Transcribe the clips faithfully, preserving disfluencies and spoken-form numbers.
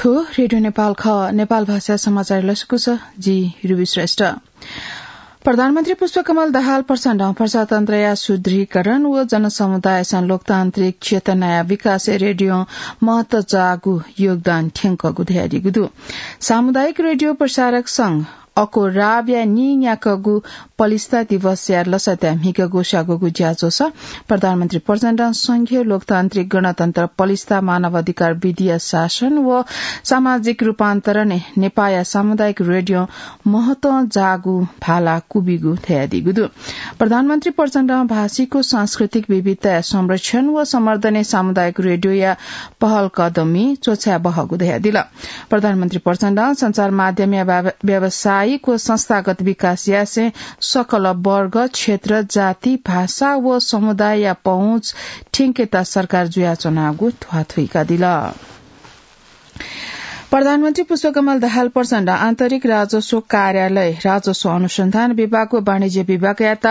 रेडियो नेपाल खः। नेपाल भाषा समाचार लसकुस, जि रुबी श्रेष्ठ। प्रधानमन्त्री पुष्पकमल दाहाल प्रचण्डं प्रजातन्त्रया सुदृढीकरण व जनसमुदायसं लोकतान्त्रिक चेतनाया विकासय् रेडियों महत्व जाःगु योगदान थ्यंकःगु धयादीगु दु। सामुदायिक रेडियो प्रसारक संघ अकोराबया नीन्याकःगु पलिस्था दिवसया लसताय् म्हिगः ग्वसाःगु ज्याझ्वलय् प्रधानमन्त्री प्रचण्डं संघीय लोकतान्त्रिक गणतन्त्र पलिस्था, मानवाधिकार, विधिया शासन व सामाजिक रूपान्तरणय् नेपाःया सामुदायिक रेडियों महत्वं जाःगु भाला क्वबिगु धयादीगु दु। प्रधानमन्त्री प्रचण्डं भाषिक व सांस्कृतिक विविधताया संरक्षण व सम्वर्धनय् सामुदायिक रेडियोया पहल कदमी च्वछाये बहःगु धयादिल। प्रधानमन्त्री प्रचण्डं सञ्चार माध्यमया व्याव-, व्यावसायिक व संस्थागत विकास यासें सकल वर्ग, क्षेत्र, जाति, भाषा व समुदायया पहुँच थ्यंकेत सरकार जुयाच्वनागु ध्वाथुइकादिल। प्रधानमन्त्री पुष्पकमल दाहाल प्रचण्डं आन्तरिक राजस्व कार्यालय, राजस्व अनुसन्धान विभाग व वाणिज्य विभागयात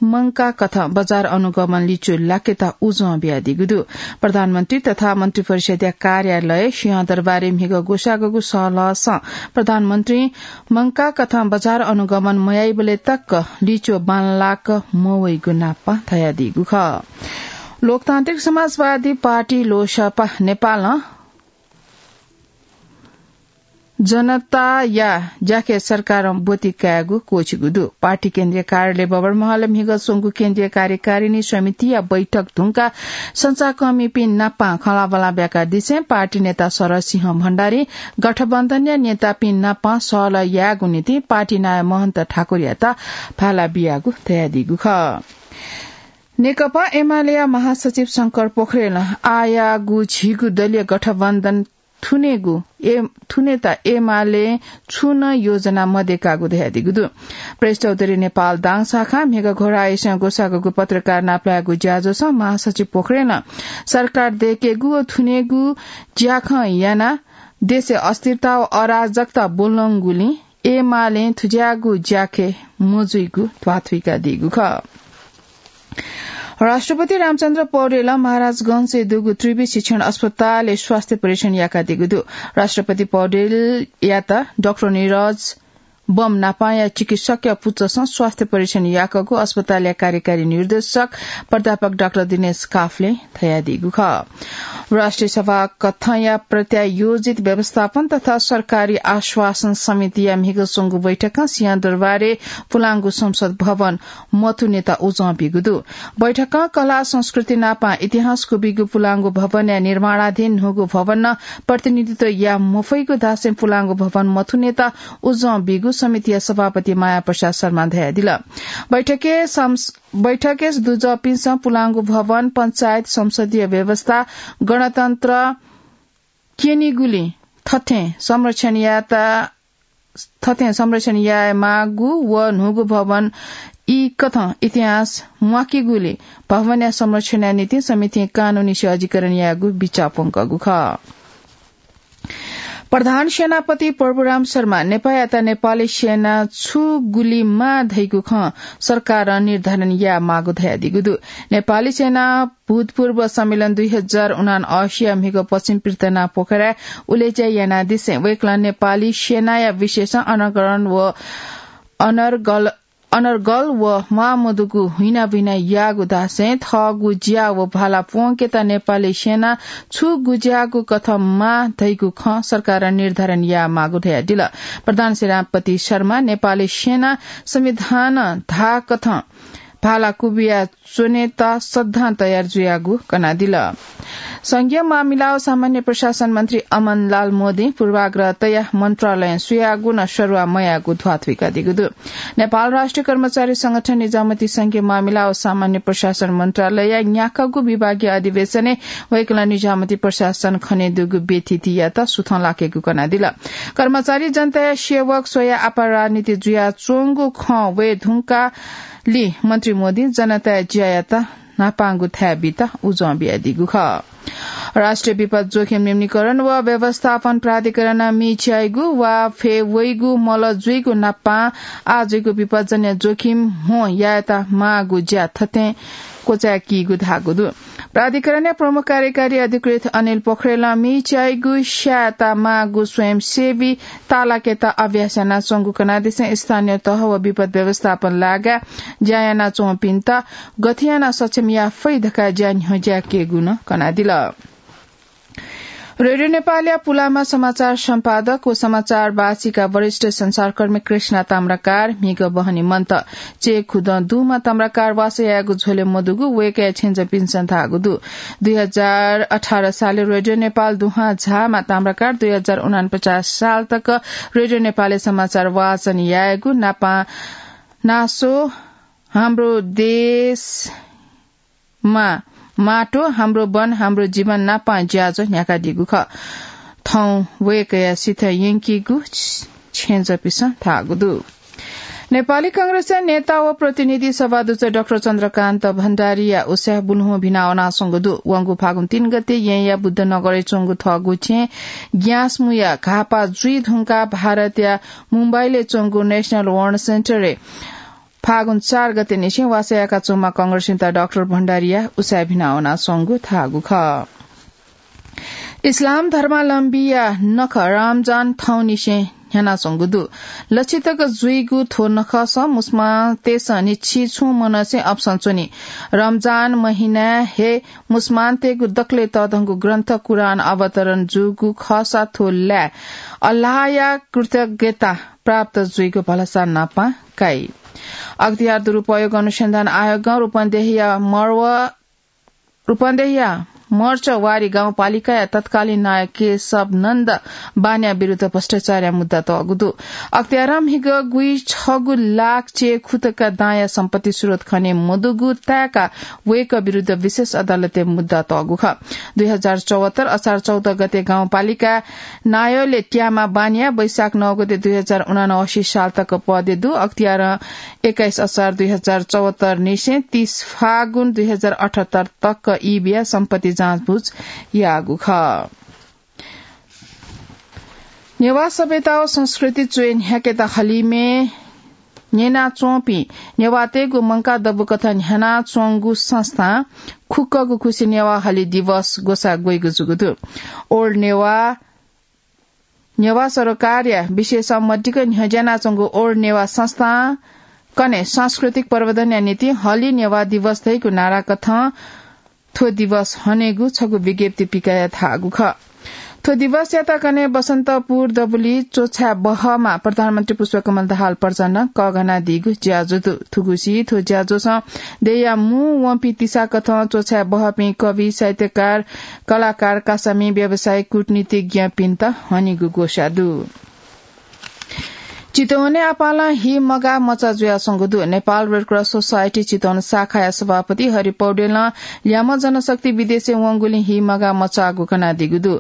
मंकाः कथं बजार अनुगमन लिच्वः लाकेत उजं बियादीगु दु। प्रधानमन्त्री तथा मन्त्रिपरिषद्या कार्यालय सिंहदरबारय् म्हिगः ग्वसाःगु सहलहसं प्रधानमन्त्रीं मंकाः कथं बजार अनुगमन मयाइबलय् तक लिच्वः बांलाक मवइगु नापं धयादीगु खः। लोकतान्त्रिक समाजवादी पार्टी लोसपा नेपालं जनताया ज्याखँय् सरकारं ब्वति कायेगु क्वःछिगु दु। पार्टी केन्द्रीय कार्यालय बबरमहलय् म्हिगः स्वंगु केन्द्रीय कार्यकारिणी समितिया बैठक धुंकाः सञ्चारकर्मीपिं नाप खँल्हाबल्हा ब्याकादिसें पार्टी नेता शरद सिंह भण्डारीं गठबन्धनया नेतापिं नाप सहलह यायेगु निंतिं पार्टी नायः महन्त ठाकुरयात भाला बियागु धयादीगु खः। नेकपा एमालेया महासचिव शंकर पोखरेलं आःयाःगु झीगु दलीय गठबन्धन थुनेगु, ए, थुनेत एमालें छुं नं योजना मदय्कागु धयादीगु दु। प्रेस चौधरी नेपाल दाङ शाखां म्हिगः घोराइसं ग्वसाःगु पत्रकार नापलायेगु ज्याझ्वलय् महासचिव पोखरेलं सरकार दय्केगु व थुनेगु ज्याखँ यानाः देशय् अस्थिरता व अराजकता ब्वलंगुलिं एमालें थुज्याःगु ज्याखँय् मजुइगु ध्वाथुइकादीगु खः। राष्ट्रपति रामचन्द्र पौडेलं महाराजगंजय् दुगु त्रिवि शिक्षण अस्पतालय् स्वास्थ्य परीक्षण याकादीगु दु। राष्ट्रपति पौडेलयात डाक्टर निरज बम नापांया चिकित्सकया पुचःसं स्वास्थ्य परीक्षण याकःगु अस्पतालया कार्यकारी निर्देशक प्राध्यापक डाक्टर दिनेश काफ्लें धयादीगु खः। राष्ट्रिय सभा कथंया प्रत्यायोजित व्यवस्थापन तथा सरकारी आश्वासन समितिया म्हिगः स्वंगु बैठकं सिंहदरबारय् पुलांगु संसद भवन मथुनेत उजं बीगु दु। बैठकं कला संस्कृति नापां इतिहास क्वबीगु पुलांगु भवनया निर्माणाधीन न्हूगु भवनं प्रतिनिधित्व याये मफइगु धासें पुलांगु भवन मथुनेत उजं बीगु समितिया सभापति माया प्रसाद शर्मां धयादिल। बैठकय् संस-, बैठकय् दुजःपिन्सं पुलांगु भवन, पञ्चायत, संसदीय व्यवस्था, गणतन्त्र क्यनीगुलिं थथें संरक्षण यायेत, थथें संरक्षण यायेमाःगु व न्हूगु भवन ई कथं इतिहास म्वाकीगुलिं भवनया संरक्षणया निंतिं समितिं कानूनी सहजीकरण यायेगु बिचाः प्वंकःगु खः। प्रधान सेनापति प्रभुराम शर्मां नेपाःयात नेपाली सेना छु गुलि माः धइगु खँ सरकारं निर्धारण यायेमाःगु धयादीगु दु। नेपाली सेना भूतपूर्व सम्मेलन दुई हजार उनान्असीया म्हिगः पश्चिम पृथ्वीनारायण पोखराय् उलेज्या यानादिसें वय्कलं नेपाली सेनाया विशेषं अनर्गल व अनर्गल अनर्गल व म्वाःमदुगु हुइनाबुइना याःगु धासें थःगु ज्या व भाला प्वंकेत नेपाली सेना छु गुज्याःगु कथं माः धइगु खँ सरकारं निर्धारण यायेमाःगु धयादिल। प्रधान सेनापति शर्मां नेपाली सेना संविधानं धाःकथं भाला क्वबिया च्वनेत सदां तयार जुयागु कनादिल। संघीय मामिला व सामान्य प्रशासन मन्त्री अमनलाल मोदीं पूर्वाग्रह तयाः मन्त्रालयं सुयागु नं सरुवा मयाःगु ध्वाथुइकादीगु दु। नेपाल राष्ट्रिय कर्मचारी संगठन निजामती संघीय मामिला व सामान्य प्रशासन मन्त्रालयया न्याकःगु विभागीय अधिवेशनय् वय्कलं निजामती प्रशासन खनेदुगु व्यथितियात सुथं लाकेगु कनादिल। कर्मचारी जनताया सेवक स्वयाः आपाः राजनीति जुयाच्वंगु खँ वये धुंकाः लि मन्त्री मोदीं जनताया ज्यायात न्हापांगु थाय् बीत उजं बियादीगु खः। राष्ट्रिय विपद जोखिम न्यूनीकरण व व्यवस्थापन प्राधिकरणं मिछ्याइगु वा फय् वइगु मल जुइगु नापां आः जुइगु विपदजन्य जोखिम ह्वँ यायेत माःगु ज्या थथें क्वचाय्कीगु धाःगु दु। प्राधिकरणया प्रमुख कार्यकारी अधिकृत अनिल पोखरेलं मिच्याइगु स्यायेत माःगु स्वयंसेवी तालाकेत अभ्यास यानाच्वंगु कनादिसें स्थानीय तह व विपद व्यवस्थापन लागाय् ज्या यानाच्वंपिन्त गथे यानाः सक्षम याये फइ धकाः ज्या न्ह्यज्याकेगु नं कनादिल। रेडियो नेपालया पुलामा समाचार सम्पादक व समाचार वाचिका वरिष्ठ संसारकर्मी कृष्णा ताम्राकार म्हिगः बहनी मन्त। चय्‌खुदँ दुम्ह ताम्राकार वासः यायेगु झ्वलय् मदुगु वय्‌कःया छेँजःपिन्सं धाःगु दु। दुई हजार अठार सालय् रेडियो नेपाल दुहां झाःम्ह ताम्राकार दुई हजार उनापचास साल तक रेडियो नेपालय् समाचार वाचन यायेगु नापं नासो हाम्रो देश मा माटो, हाम्रो वन, हाम्रो जीवन नापं ज्याझ्वः न्ह्याकादीगु खः। थौं वय्‌कःया सिथय् यंकीगु छेँजःपिन्सं धाःगु दु। नेपाली कांग्रेसया नेता व प्रतिनिधि सभा दुजः डाक्टर चन्द्रकान्त भण्डारीया उसाँय् बुल्हुँ भिना वनाच्वंगु दु। वंगु फागुन तीन गते येँया बुद्धनगरय् च्वंगु थःगु छेँ ग्याँसमुया घाःपाः जुइ धुंकाः भारतया मुम्बईलय् च्वंगु नेशनल वार सेन्टरय् फागुन चार गते निसें वासः याकाच्वंम्ह कांग्रेस नेता डाक्टर भण्डारीया उसाँय् भिना वनाच्वंगु धाःगु खः। इस्लाम धर्मावलम्बीया नखः रमजान थौंनिसें न्ह्यानाच्वंगु दु। लच्छि तक जुइगु थ्व नखःसं मुसलमानतय्‌सं न्हिच्छि छुं मनसें अपसं च्वनी। रमजान महिनाय् हे मुसलमानतय्‌गु दकलय् तःधंगु ग्रन्थ कुरान अवतरण जूगु खःसा थ्व लाय् अल्लाहया कृतज्ञता प्राप्त जुइगु भलसा नापं काइ। अख्तियार दुरुपयोग अनुसन्धान आयोगं रूपन्देहीया मर्व रूपन्देहीया मर्चवारी गाउँपालिकाया तत्कालीन नायः केशव नन्द बानिया विरुद्ध भ्रष्टाचारया मुद्दा तःगु दु। अख्तियारं म्हिगः गुइछगू लाख चय्‌खुतका दांया सम्पत्ति स्रोत खने मदुगु ताय्‌काः वय्‌कः विरुद्ध विशेष अदालतय् मुद्दा तःगु खः। दुई हजार चौहत्तर असार चौध गते गाउँपालिका नायःलय् त्याःम्ह बानिया वैशाख नौ गते दुई हजार उनासी साल तक पदय् दु। अख्तियारं एक्काइस असार दुई हजार चौहत्तर निसें तीस फागुन दुई हजार अठहत्तर तक ई बियाः सम्पत्ति जाँचबुझ याःगु खः। नेवाः सभ्यता व संस्कृति च्वय् न्ह्याकेत हलिमय् न्यनाच्वंपिं नेवाःतय्‌गु मंकाः दबूकथं न्ह्यानाच्वंगु संस्थां खुक्कगु खुसिइ नेवाः हलि दिवस ग्वसाः ग्वइगु जूगु दु। ओल्ड नेवाः नेवाः सरोकारया विशेषं मदिक्क न्ह्यज्यानाच्वंगु ओल्ड नेवाः संस्थां कन्हय् सांस्कृतिक प्रवर्धनया निंतिं हलि नेवाः दिवस धइगु नाराकथं थ्व दिवस हनेगु छगू विज्ञप्ति पिकयाः धाःगु खः। थ्व दिवसयात कन्हय् बसन्तपुर दबुली च्वछाय् बहःम्ह प्रधानमन्त्री पुष्पकमल दाहाल प्रचण्डं कःघानादीगु ज्याझ्वः दु। थुगुसी थ्व ज्याझ्वलं देय्‌या मू वंपिं तिसाकथं च्वछाय् बहःपिं कवि, साहित्यकार, कलाकार, कासामि, व्यवसायी, कूटनीतिज्ञपिन्त हनीगु ग्वसाः दु। चितवनय् आपालं हि मगाः मचा जुयाच्वंगु दु। नेपाल रेड क्रस सोसाइटी चितवन शाखाया सभापति हरि पौडेलं ल्याम्ह जनशक्ति विदेशय् वंगुलिं हि मगाः मचाःगु कनादीगु दु।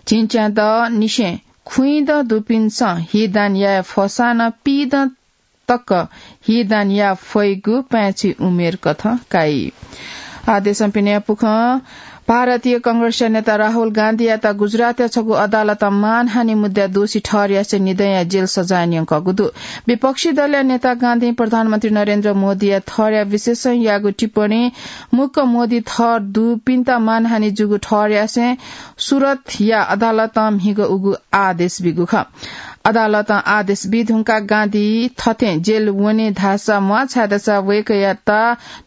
झिंच्यादँनिसें खुइँदँ दुपिन्सं हि दान याये फःसां नं पीदँ तक हि दान याये फइगु पाय्‌छि उमेर कथं काइ। आः देशं पिने पुखं भारतीय कांग्रेसया नेता राहुल गान्धीयात गुजरातया छगू अदालतं मानहानि मुद्दाय् दोषी ठहर यासें निदँया जेल सजाय न्यंकःगु दु। विपक्षी दलया नेता गान्धीं प्रधानमन्त्री नरेन्द्र मोदीया थरया विशेषज्ञया टिप्पणी मुक्क मोदी थर दुपिन्त मानहानि जूगु ठहर यासें सुरतया अदालतं म्हिगः उगु आदेश बीगु खः। अदालतं आदेश बी धुंकाः गान्धी थथें जेल वने धाःसा म्वाः, छाय्‌धाःसा वय्‌कःयात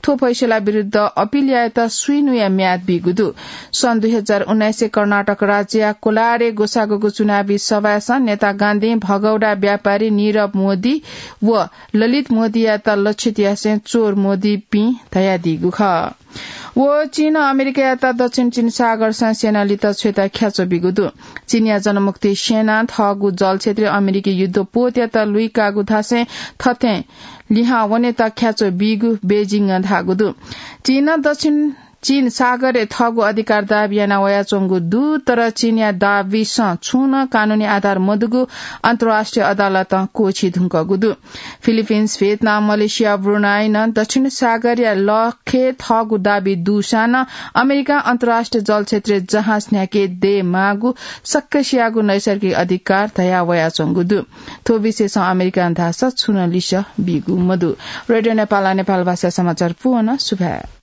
थ्व फैसला विरुद्ध अपिल यायेत स्वीन्हुया म्याद बीगु दु। सन् दुई हजार उन्नाइसय् कर्नाटक राज्यया कोलारय् ग्वसाःगु चुनावी सभाय् नेता गान्धीं भगौडा व्यापारी नीरव मोदी व ललित मोदीयात लक्षित यासें चोर मोदीपिं धयादीगु खः। व चीनं अमेरिकायात दक्षिण चीन सागरसं सेना लित छ्वयेत ख्याच्वः बीगु दु। चीनया जनमुक्ति सेनां थःगु जलक्षेत्रय् अमेरिकी युद्धपोतयात लुइकाःगु धासें थथें लिहां वनेत ख्याच्वः बीगु बेजिङं धाःगु दु। चीनं दक्षिण चीन सागरय् थःगु अधिकार दाबी याना वयाच्वंगु दु, तर चीनया दाबीसं छुं नं कानूनी आधार मदुगु अन्तर्राष्ट्रिय अदालतं क्वःछी धुंकूगु दु। फिलिपिन्स, भियतनाम, मलेसिया, ब्रुनाई नं दक्षिण सागरया लखय् थःगु दाबी दुसां नं अमेरिकां अन्तर्राष्ट्रिय जलक्षेत्रय् जहाज न्ह्याके दयेमाःगु सक्कसियागु नैसर्गिक अधिकार धया वयाच्वंगु दु। थ्व विषयसं अमेरिकां धाःसा छुं नं लिसः बीगु मदु। रेडियो नेपालं नेपाल भाषा समाचार पूवना। सुभाय्।